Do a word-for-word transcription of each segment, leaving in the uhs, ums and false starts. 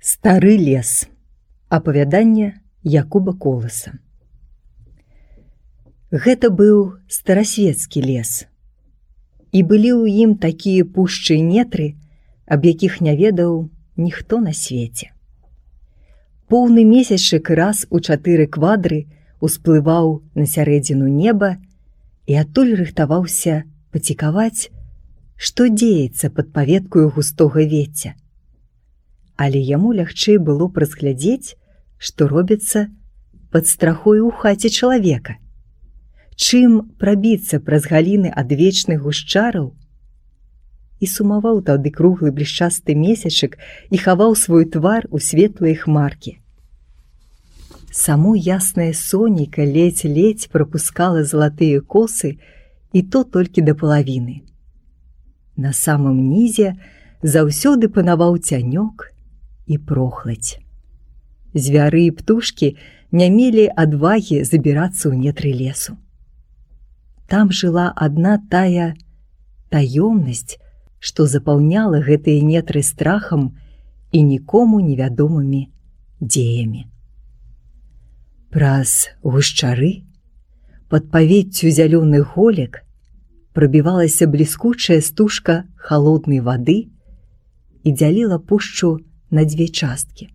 Стары лес. Апавяданне Якуба Коласа. Гэта быў старасвецкі лес. І былі ў ім такія пушчы і нетры, аб якіх не ведаў ніхто на свеце. Поўны месячык раз у чатыры квадры усплываў на сярэдзіну неба і адтуль рыхтаваўся пацікаваць, што дзеецца пад паветкаю густога вецця. Але яму лягчэй было разглядзець, што робіцца пад страхой у хаце чалавека, чым прабіцца праз галіны адвечных гушчараў. І сумаваў тады круглы блішчасты месячык і хаваў свой твар у светлыя хмаркі. Само яснае сонейка ледзь-ледзь прапускала залатыя косы, і то толькі да палавіны. На самым нізе заўсёды панаваў цянёк і прохладзь. Звяры і птушкі не мелі адвагі забірацца ў нетры лесу. Там жыла адна тая таёмнасць, што запаўняла гэтыя нетры страхам і нікому невядомымі дзеямі. Праз гушчары, пад павеццю зялёных голек, прабівалася бліскучая стужка халоднай вады і дзяліла пушчу на дзве часткі.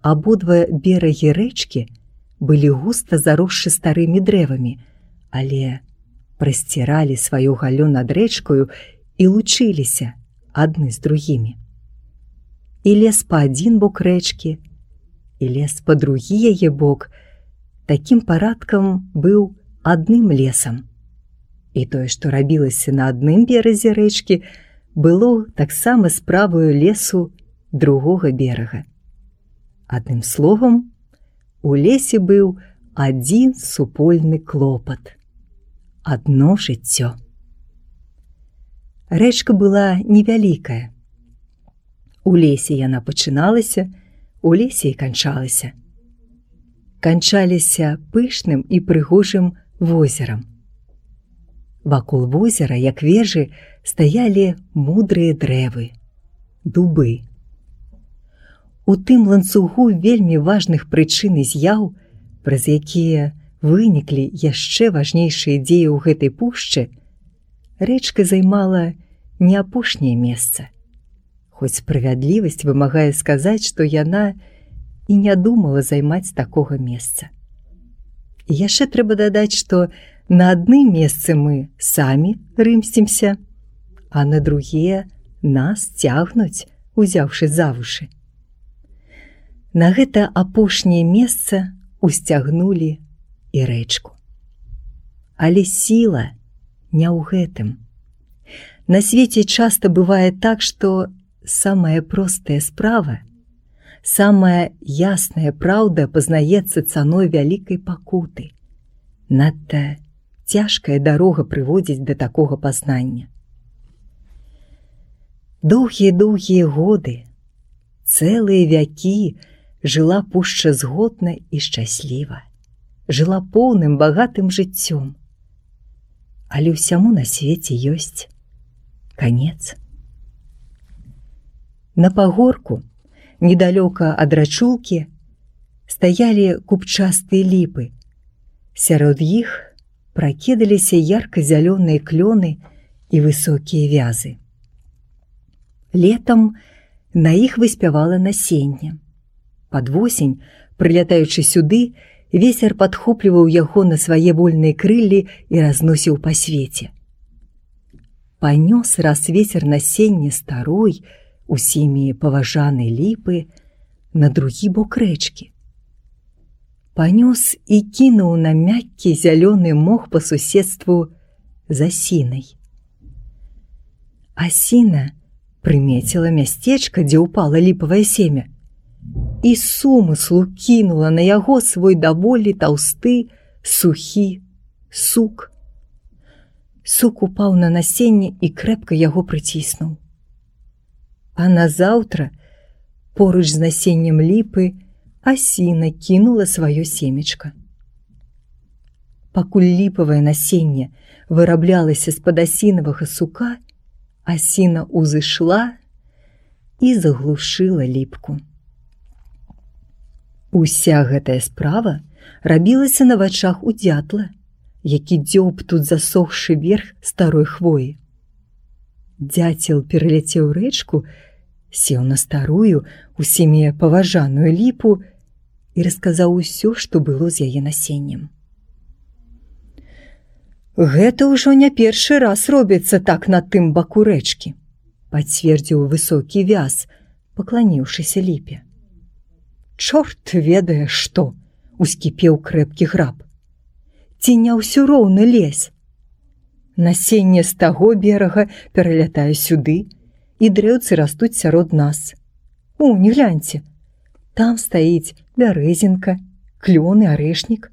Абодва берагі рэчкі былі густа заросшы старымі дрэвамі, але прасціралі сваю галлё над рэчкаю і лучыліся адны з другімі. І лес па адзін бок рэчкі, і лес па другі яе бок такім парадкам быў адным лесам. І тое, што рабілася на адным беразе рэчкі, было таксама справаю лесу другога берага. Адным словам, у лесе быў адзін супольны клопат. Адно жыццё. Рэчка была невялікая. У лесе яна пачыналася, у лесе і канчалася. Канчаліся пышным і прыгожым возерам. Вакол возера, як вежы, стаялі мудрыя дрэвы, дубы. У тым ланцугу вельмі важных прычын і з'яў, праз якія выніклі яшчэ важнейшыя дзеі ў гэтай пушчы, рэчка займала не апошняе месца. Хоць справядлівасць вымагае сказаць, што яна і не думала займаць такога месца. І яшчэ трэба дадаць, што на адным месцы мы самі рымсцімся, а на другія нас цягнуць, узяўшы за вушы. На гэта апошняе месца усцягнулі і рэчку. Але сіла не ў гэтым. На свеце часта бывае так, што самая простая справа, самая ясная праўда пазнаецца цаной вялікай пакуты. Надта цяжкая дарога прыводзіць да такога пазнання. Доўгія-доўгія годы, цэлыя вякі жыла пушча згодна і шчасліва, жыла поўным багатым жыццём. Але ўсяму на свеце ёсць канец. На пагорку, недалёка ад рачулкі, стаялі купчастыя ліпы. Сярод іх пракідаліся ярка-зялёныя клёны і высокія вязы. Летам на іх выспявала насенне. Пад восень, прылятаючы сюды, вецер падхопліваў яго на свае вольныя крыллі і разносіў па свеце. Панёс раз вецер насенне старой, усімі паважанай ліпы на другі бок рэчкі. Панёс і кінуў на мяккі зялёны мох па суседству з асінай. Асіна прымеціла мясцечка, дзе ўпала ліпавае семя, і з сумыслу кінула на яго свой даволі таўсты, сухі сук. Сук упаў на насенне і крэпка яго прыціснуў. А назаўтра, поруч з насеннем ліпы, асіна кінула сваё семечка. Пакуль ліпавае насенне выраблялася з-пад асінавага сука, асіна ўзышла і заглушыла ліпку. Уся гэтая справа рабілася на вачах у дзятла, які дзёб тут засохшы верх старой хвоі. Дзяцел пераляцеў рэчку, сеў на старую, усімі паважаную ліпу і расказаў усё, што было з яе насеннем. «Гэта ўжо не першы раз робіцца так на тым баку рэчкі», пацвердзіў высокі вяз, пакланіўшыся ліпе. «Чорт ведае што!» — ускіпеў крэпкі граб. «Ці не ўсё роўны лес? Насенне з таго берага пералятае сюды, і дрэўцы растуць сярод нас. О, не гляньце, там стаіць бярэзінка, клён і арэшнік.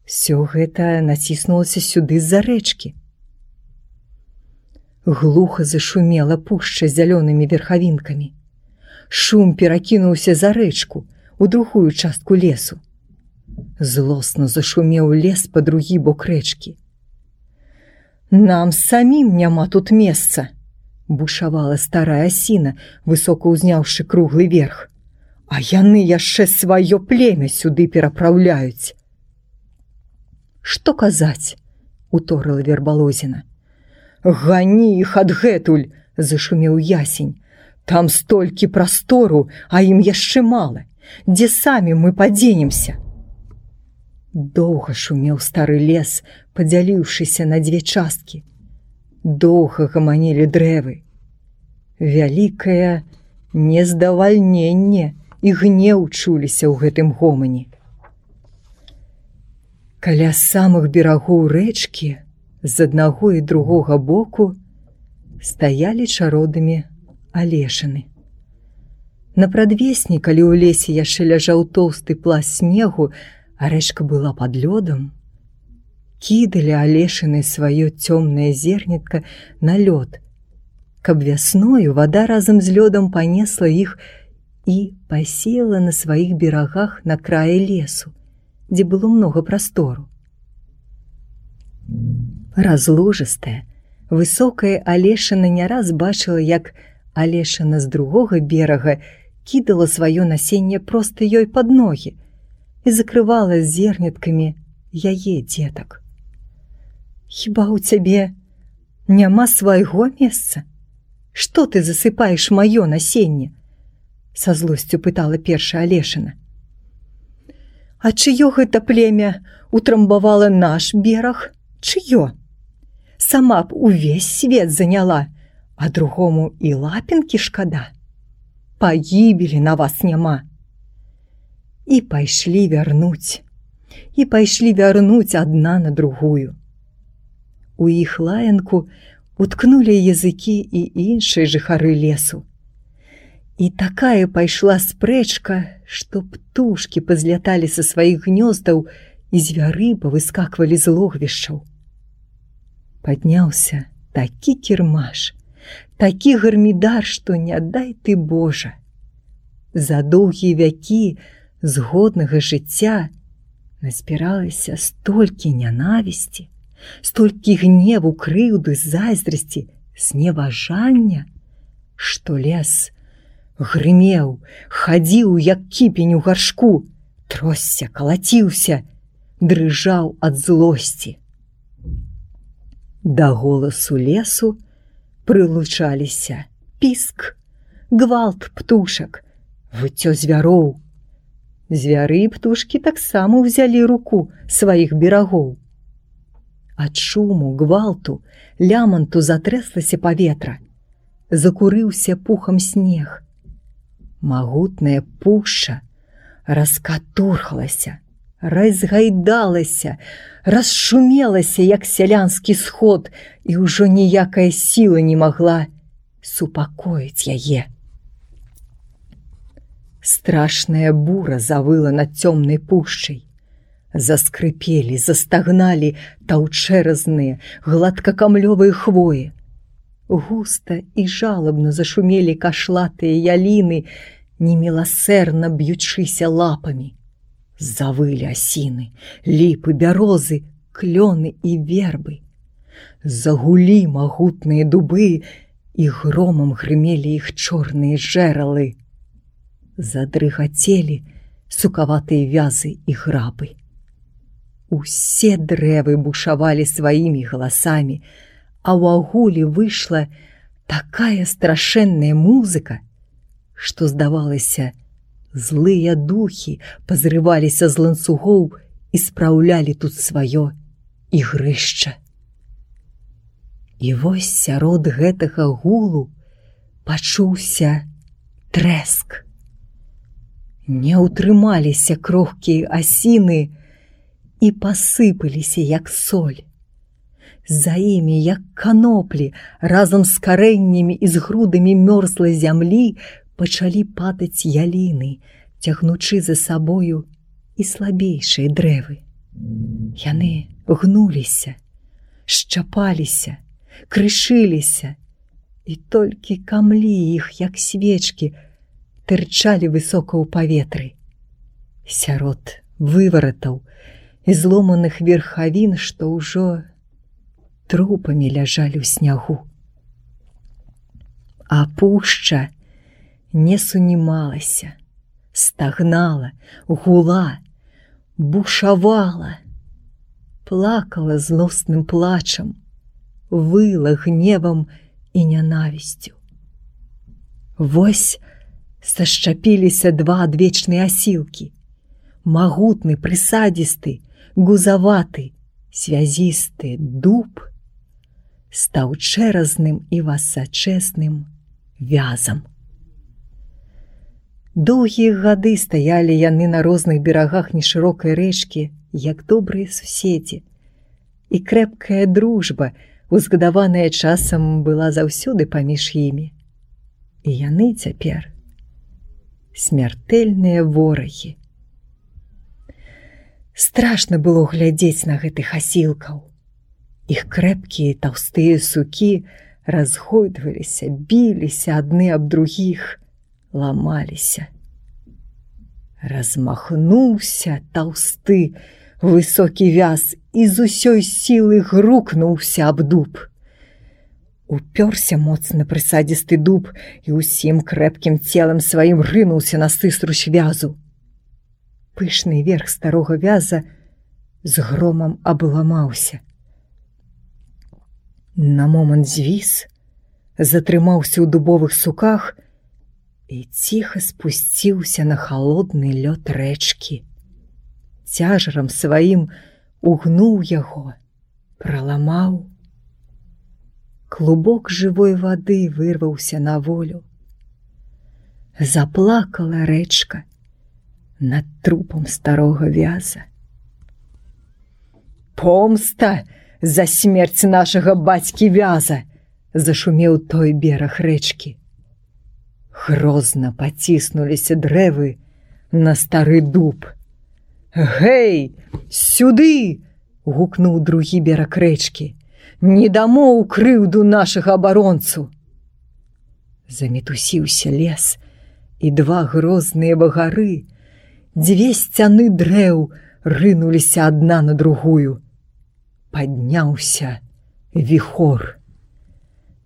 Всё гэта націснулася сюды з-за рэчкі». Глуха зашумела пушча з зялёнымі верхавінкамі. Шум перакінуўся за рэчку, у другую частку лесу. Злосна зашумеў лес па другі бок рэчкі. «Нам самім няма тут месца!» — бушавала старая асіна, высока ўзняўшы круглы верх. «А яны яшчэ сваё племя сюды перапраўляюць!» «Што казаць?» — уторыла вербалозіна. «Гані іх адгэтуль!» — зашумеў ясень. «Там столькі прастору, а ім яшчэ мала. Дзе самі мы падзенемся?» Доўга шумеў стары лес, падзяліўшыся на дзве часткі. Доўга гаманілі дрэвы. Вялікае нездавальненне і гнеў чуліся ў гэтым гомане. Каля самых берагоў рэчкі з аднаго і другога боку стаялі чародамі алешыны. На прадвесні, калі ў лесе яшчэ ляжаў тоўсты пласт снегу, а рэчка была пад лёдам, кідалі алешыны сваё цёмнае зернятка на лёд, каб вясною вада разам з лёдам панесла іх і пасеяла на сваіх берагах на краі лесу, дзе было многа прастору. Разложыстая, высокая алешына не раз бачыла, як алешына з другога берага кідала сваё насенне проста ёй пад ногі і закрывала зерняткамі яе дзетак. «Хіба ў цябе няма свайго месца? Што ты засыпаеш маё насенне?» — са злосцю пытала першая алешына. «А чыё гэта племя утрамбавала наш бераг? Чыё? Сама б увесь свет заняла, а другому і лапінкі шкада. Пагібелі на вас няма». І пайшлі вярнуць, і пайшлі вярнуць адна на другую. У іх лаянку уткнулі языкі і іншыя жыхары лесу. І такая пайшла спрэчка, што птушкі пазляталі са сваіх гнёздаў і звяры павыскаквалі з логвішчаў. Падняўся такі кірмаш, такі гармідар, што не дай ты Божа. За доўгія вякі згоднага жыцця назбіралася столькі нянавісці, столькі гневу, крыўды, зайздрасці, зневажання, што лес грымеў, хадзіў, як кіпень у гаршку, тросся, калаціўся, дрыжаў ад злосці. Да голасу лесу прылучаліся піск, гвалт птушак, выццё звяроў. Звяры і птушкі таксама ўзялі руку сваіх берагоў. Ад шуму, гвалту, ляманту затрэслася паветра, закурыўся пухам снег. Магутная пушча раскатурхалася, разгайдалася, расшумелася, як сялянскі сход, і ўжо ніякая сіла не магла супакоіць яе. Страшная бура завыла над цёмнай пушчай. Заскрыпелі, застагналі таўчэразныя, гладкакамлёвыя хвоі. Густа і жалабна зашумелі кашлатыя яліны, неміласэрна б'ючыся лапамі. Завылі асіны, ліпы, бярозы, клёны і вербы. Загулі магутныя дубы, і громам грымелі іх чорныя жэралы. Задрыгацелі сукаватыя вязы і грабы. Усе дрэвы бушавалі сваімі галасамі, а ў агуле выйшла такая страшэнная музыка, што, здавалася, злыя духі пазрываліся з ланцугоў і спраўлялі тут сваё ігрышча. І вось сярод гэтага гулу пачуўся трэск. Не ўтрымаліся крохкія асіны і пасыпаліся, як соль. За імі, як каноплі, разам з карэннямі і з грудамі мёрзлай зямлі пачалі падаць яліны, цягнучы за сабою і слабейшыя дрэвы. Яны гнуліся, шчапаліся, крышыліся, і толькі камлі іх, як свечкі, тырчалі высока ў паветры. Сярод вываратаў і зломаных верхавін, што ўжо трупамі ляжалі ў снягу. А пушча не сунімалася, стагнала, гула, бушавала, плакала злосным плачам, выла гневам і нянавісцю. Вось сашчапіліся два адвечныя асілкі. Магутны, прысадзісты, гузаваты, связісты дуб стаў чэразным і высачэзным вязам. Доўгія гады стаялі яны на розных берагах нешырокай рэчкі, як добрыя суседзі, і крэпкая дружба, узгадаваная часам, была заўсёды паміж імі. І яны цяпер смяртэльныя ворагі. Страшна было глядзець на гэтых асілкаў. Іх крэпкія таўстыя сукі разгойдваліся, біліся адны аб другіх, ламаліся. Размахнуўся таўсты высокі вяз і з усёй сілы грукнуўся аб дуб. Упёрся моцна прысадзісты дуб і ўсім крэпкім целам сваім рынуўся на сыструч вязу. Пышны верх старога вяза з громам абламаўся. На момант звіс, затрымаўся ў дубовых суках і ціха спусціўся на халодны лёд рэчкі. Цяжарам сваім угнуў яго, праламаў. Клубок жывой вады вырваўся на волю. Заплакала рэчка над трупам старога вяза. «Помста за смерць нашага бацькі вяза!» зашумеў той бераг рэчкі. Грозна паціснуліся дрэвы на стары дуб. «Гэй, сюды!» – гукнуў другі бераг рэчкі. «Не дамо ў крыўду нашага абаронцу!» Замітусіўся лес, і два грозныя багары, дзве сцяны дрэў рынуліся адна на другую. Падняўся віхор.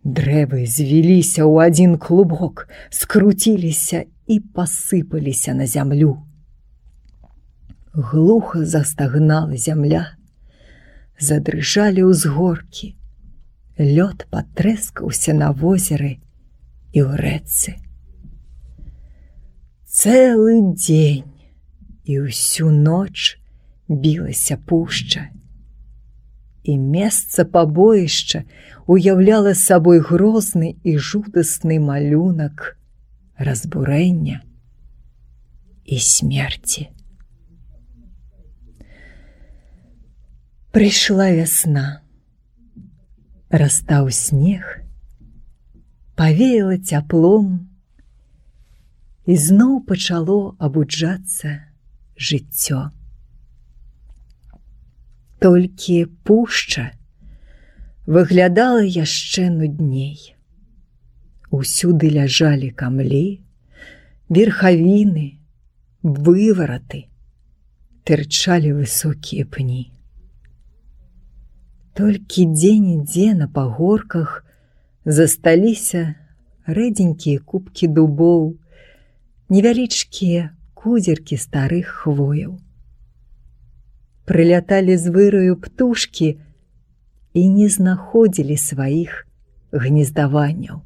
Дрэвы звіліся ў адзін клубок, скруціліся і пасыпаліся на зямлю. Глуха застагнала зямля. Задрыжалі ўзгоркі, лёд патрэскаўся на возеры і ў рэчцы. Цэлы дзень і ўсю ноч білася пушча, і месца пабоішча уяўляла сабой грозны і жудасны малюнак разбурэння і смерці. Прыйшла вясна, растаў снег, павеяла цяплом, і зноў пачало абуджацца жыццё. Толькі пушча выглядала яшчэ нудней. Усюды ляжалі камлі, верхавіны, вывараты, тырчалі высокія пні. Толькі дзе-нідзе на пагорках Засталіся рэдзенькія кубкі дубоў, невялічкія кузеркі старых хвояў. Прыляталі з выраю птушкі і не знаходзілі сваіх гнездаванняў.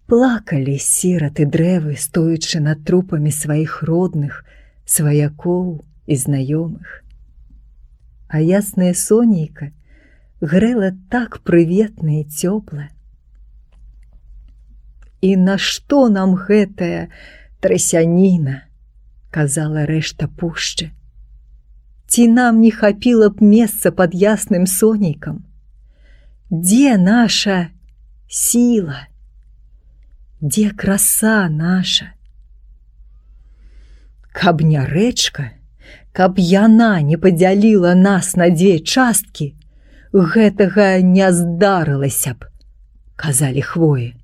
Плакалі сіраты дрэвы, стоячы над трупамі сваіх родных, сваякоў і знаёмых. А яснае сонейка грэла так прыветна і цёпла. «І нашто нам гэтая трасяніна?» – казала рэшта пушчы. «Ці нам не хапіла б месца пад ясным сонейкам? Дзе наша сіла? Дзе краса наша? Каб не рэчка, каб яна не падзяліла нас на дзве часткі, гэтага не здарылася б», – казалі хвоі.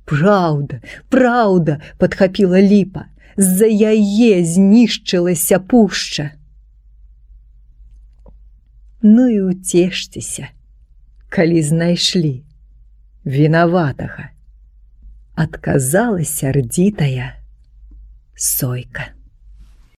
«Праўда, праўда», – падхапіла ліпа, – «з-за яе знішчылася пушча». Ну і уцешцеся, калі знайшлі вінаватага, адказала сярдзітая сойка.